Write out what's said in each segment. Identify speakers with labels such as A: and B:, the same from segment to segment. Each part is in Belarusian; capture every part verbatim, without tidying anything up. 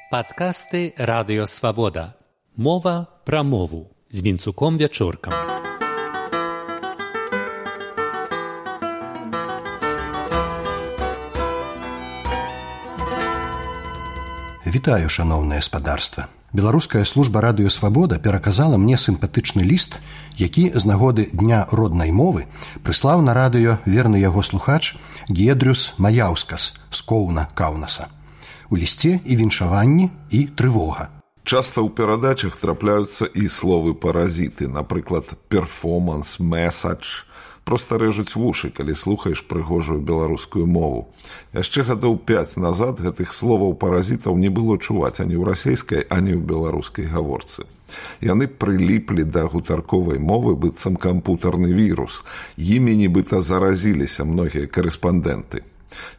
A: Падкасты Радыё Свабода. Мова пра мову з Вінцуком Вячоркам.
B: Вітаю, шаноўнае спадарства. Беларуская служба Радыё Свабода пераказала мне сімпатычны ліст, які з нагоды Дня роднай мовы прыслаў на радыё верны яго слухач Гедрюс Маяўскас з Коўна, Каўнаса. У лісце і віншаванні, і трывога.
C: Часта ў перадачах трапляюцца і словы паразіты, напрыклад, перформанс, месадж. Проста рэжуць вушы, калі слухаеш прыгожую беларускую мову. Яшчэ гадоў пяць назад гэтых словаў паразітаў не было чуваць ані ў расейскай, ані ў беларускай гаворцы. Яны прыліплі да гутарковай мовы быццам кампутарны вірус. Імі нібыта заразіліся многія карэспандэнты.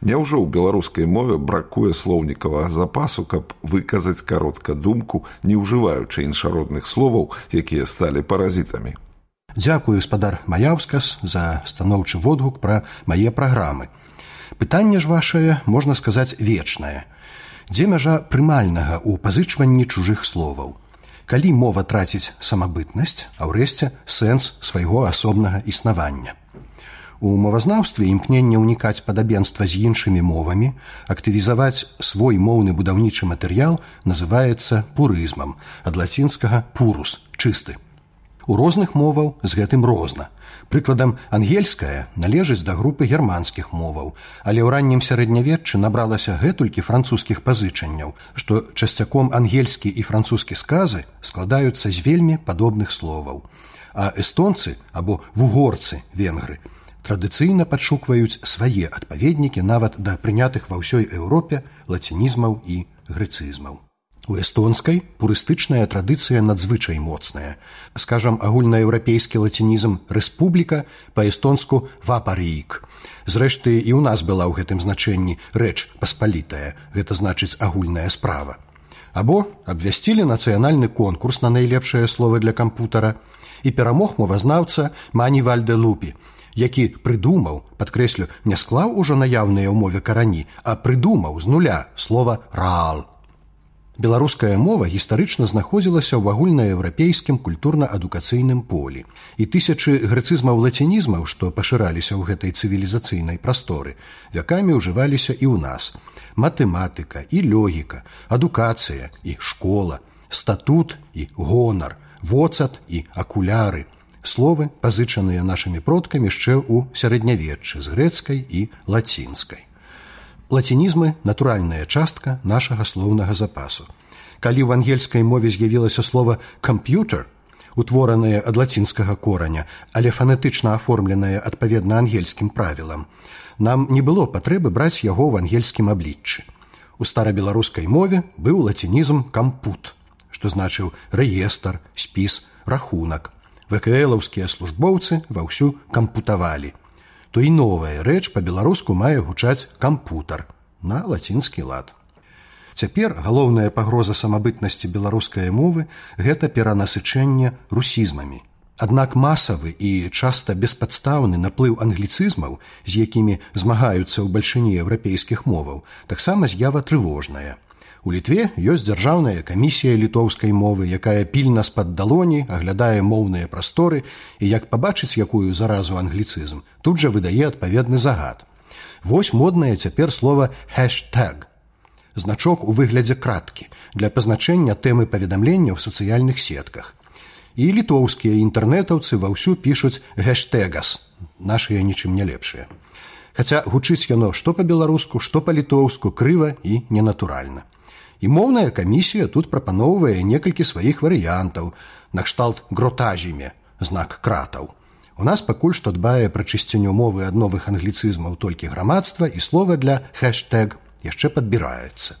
C: Няўжо ў беларускай мове бракуе слоўнікавага запасу, каб выказаць каротка думку, не ўжываючы іншародных словаў, якія сталі паразітамі?
B: Дзякую, спадар Маяўскас, за станоўчы водгук пра мае праграмы. Пытанне ж вашае, можна сказаць, вечнае. Дзе мяжа прымальнага ў пазычванні чужых словаў? Калі мова траціць самабытнасць, а ўрэшце сэнс свайго асобнага існавання? У мовазнаўстве імкненне ўнікаць падабенства з іншымі мовамі, актывізаваць свой моўны будаўнічы матэрыял называецца пурызмам, ад лацінскага «purus» – «чысты». У розных моваў з гэтым розна. Прыкладам, ангельская належыць да групы германскіх моваў, але ў раннім сярэднявеччы набралася гэтулькі французскіх пазычанняў, што часцяком ангельскі і французскі сказы складаюцца з вельмі падобных словаў. А эстонцы або вугорцы, венгры, традыцыйна падшукваюць свае адпаведнікі нават да прынятых ва ўсёй Еўропе лацінізмаў і грэцызмаў. У эстонскай пурыстычная традыцыя надзвычай моцная. Скажам, агульнаеўрапейскі лацінізм «рэспубліка» па-эстонску «вапарīk». Зрэшты, і ў нас была ў гэтым значэнні рэч паспалітая, гэта значыць агульная справа. Або абвясцілі нацыянальны конкурс на найлепшае слова для кампутара, і перамог мовазнаўца Мані Вальдэ-Лупі, які прыдумаў, падкрэслю, не склаў ужо наяўныя ў мове карані, а прыдумаў з нуля слова «раал». Беларуская мова гістарычна знаходзілася ў агульнаеўрапейскім культурна-адукацыйным полі, і тысячы грэцызмаў-лацінізмаў, што пашыраліся ў гэтай цывілізацыйнай прасторы, вякамі ўжываліся і ў нас. Матэматыка і логіка, адукацыя і школа, статут і гонар, воцат і акуляры. Словы, пазычаныя нашымі продкамі яшчэ ў сярэднявеччы з грэцкай і лацінскай. Лацінізмы – натуральная частка нашага слоўнага запасу. Калі ў ангельскай мове з'явілася слова «камп'ютер», утворанае ад лацінскага кораня, але фанетычна аформленае адпаведна ангельскім правілам, нам не было патрэбы браць яго ў ангельскім абліччы. У старабеларускай мове быў лацінізм «кампут», што значыў рэестр, спіс, рахунак. ВКЛаўскія службоўцы ваўсю кампутавалі. То і новая рэч па-беларуску мае гучаць «кампутар» на лацінскі лад. Цяпер галоўная пагроза самабытнасці беларускай мовы – гэта перанасычэнне русізмамі. Аднак масавы і часта беспадстаўны наплыў англіцызмаў, з якімі змагаюцца ў бальшыні еўрапейскіх моваў, таксама з'ява трывожная. У Літве ёсць дзяржаўная камісія літоўскай мовы, якая пільна з-пад далоні аглядае моўныя прасторы і, як пабачыць якую заразу англіцызм, тут жа выдае адпаведны загад. Вось моднае цяпер слова «хэштэг» – значок у выглядзе краткі для пазначэння тэмы паведамлення ў сацыяльных сетках. І літоўскія інтэрнэтаўцы ваўсю пішуць «гэштэгас», нашыя нічым не лепшыя. Хаця гучыць яно што па-беларуску, што па-літоўску крыва і ненатуральна. І моўная камісія тут прапаноўвае некалькі сваіх варыянтаў, накшталт «гротажіме» – знак кратаў. У нас пакуль што дбае пра чысціню мовы ад новых англіцызмаў толькі грамадства, і слова для «хэштэг» яшчэ падбіраецца.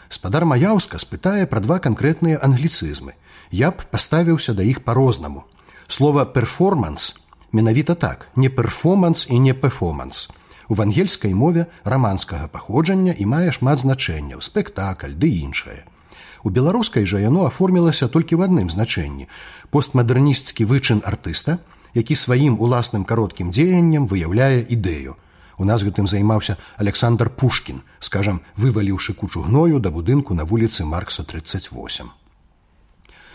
B: Спадар Маяўска спытае пра два канкрэтныя англіцызмы. Я б паставіўся да іх па-рознаму. Слова «перформанс» менавіта так, не «перформанс» і не «пефоманс». У ангельскай мове раманскага паходжання і мае шмат значэнняў, спектакль ды іншае. У беларускай жа яно аформілася толькі ў адным значэнні – постмадэрнісцкі вычын артыста, які сваім уласным кароткім дзеяннем выяўляе ідэю. У нас гэтым займаўся Александр Пушкін, скажам, вываліўшы кучу гною да будынку на вуліцы Маркса тридцать восемь.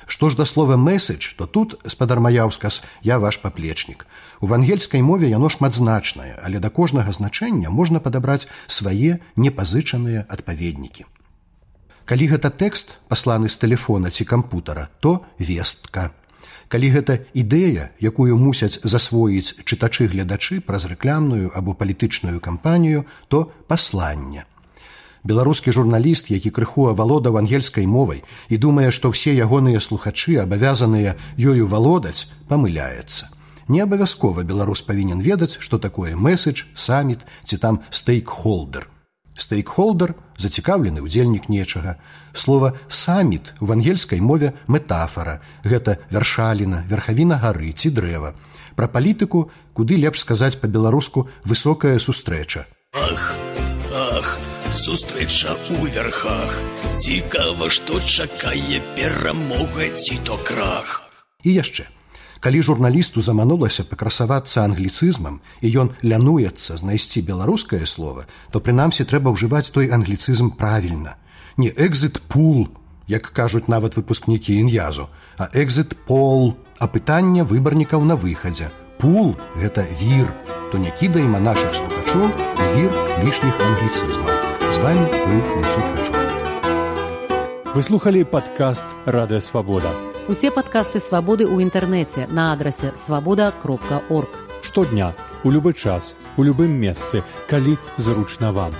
B: Што ж да слова «месседж», то тут, спадар Маяўскас, я ваш паплечнік. У вангельскай мове яно шматзначнае, але да кожнага значэння можна падабраць свае непазычаныя адпаведнікі. Калі гэта тэкст, пасланы з тэлефона ці кампутара, то вестка. Калі гэта ідэя, якую мусяць засвоіць чытачы-гледачы праз рэкламную або палітычную кампанію, то пасланне. Беларускі журналіст, які крыху авалодаў ангельскай мовай і думае, што ўсе ягоныя слухачы абавязаныя ёю валодаць, памыляецца. Не абавязкова беларус павінен ведаць, што такое месседж, саміт ці там стейкхолдер. Стейкхолдер – зацікаўлены ўдзельнік нечага. Слова «саміт» у ангельскай мове метафора. Гэта вяршаліна, верхавіна гары ці дрэва. Пра палітыку куды лепш сказаць па-беларуску «высокая сустрэча».
D: Ах, ах, сустрэча ў вярхах. Цікава, што чакае перамога ці то крах.
B: І яшчэ. Калі журналісту заманулася пакрасавацца англіцызмам і ён лянуецца знайсці беларускае слово, то прынамсі трэба ўжываць той англіцызм правільна. Не «exit pool», як кажуць нават выпускнікі ін'язу, а «exit poll», апытанне выбарнікаў на выхадзе. «Pool» – гэта вір, то не кідаем а нашых слухачоў вір лішніх англіцызмаў. З вами быў Міцук Пячук.
E: Вы слухали падкаст «Радыё Свабода».
F: Усе падкасты «Свабоды» ў інтэрнэце на адрасе свабода кропка орг.
E: Штодня, у любы час, у любым месцы, калі зручна вам.